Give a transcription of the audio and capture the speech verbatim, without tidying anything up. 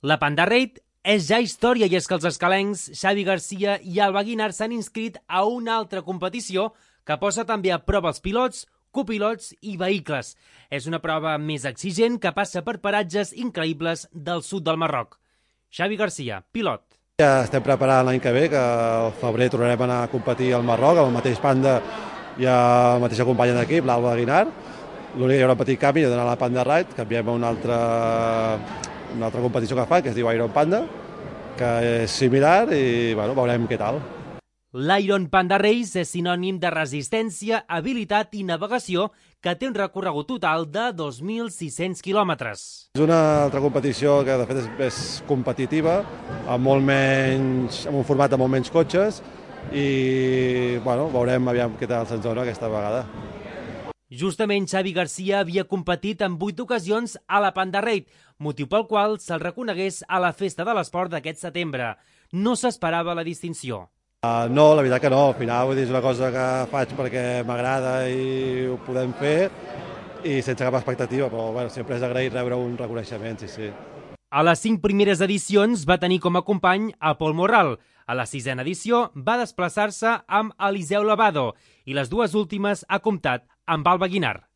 La Panda Raid és ja història i és que els escalencs Xavi Garcia i Alba Guinart s'han inscrit a una altra competició que posa també a prova els pilots, copilots i vehicles. És una prova més exigent que passa per paratges increïbles del sud del Marroc. Xavi Garcia, pilot. Ja estem preparant l'any que ve, que al febrer tornarem a anar a competir al Marroc, amb el mateix Panda i la mateixa companya d'equip, l'Alba Guinart. L'únic que hi haurà un petit canvi d'anar a la Panda Raid, canviem a una altra, una altra competició que fa, que es diu Iron Panda, que és similar i bueno, veurem què tal. L'Iron Panda Race és sinònim de resistència, habilitat i navegació que té un recorregut total de dos mil sis-cents quilòmetres. És una altra competició que de fet és més competitiva, amb, molt menys, amb un format de molt menys cotxes i bueno, veurem aviam què tal se'ns dona aquesta vegada. Justament Xavi Garcia havia competit en vuit ocasions a la Panda Raid, motiu pel qual se'l reconegués a la Festa de l'Esport d'aquest setembre. No s'esperava la distinció. Uh, no, la veritat que no. Al final vull dir, és una cosa que faig perquè m'agrada i ho podem fer i sense cap expectativa, però bueno, sempre és agraït rebre un reconeixement, sí, sí. A les cinc primeres edicions va tenir com a company a Pol Morral. A la sisena edició va desplaçar-se amb Eliseu Lavado i les dues últimes ha comptat amb Alba Guinart.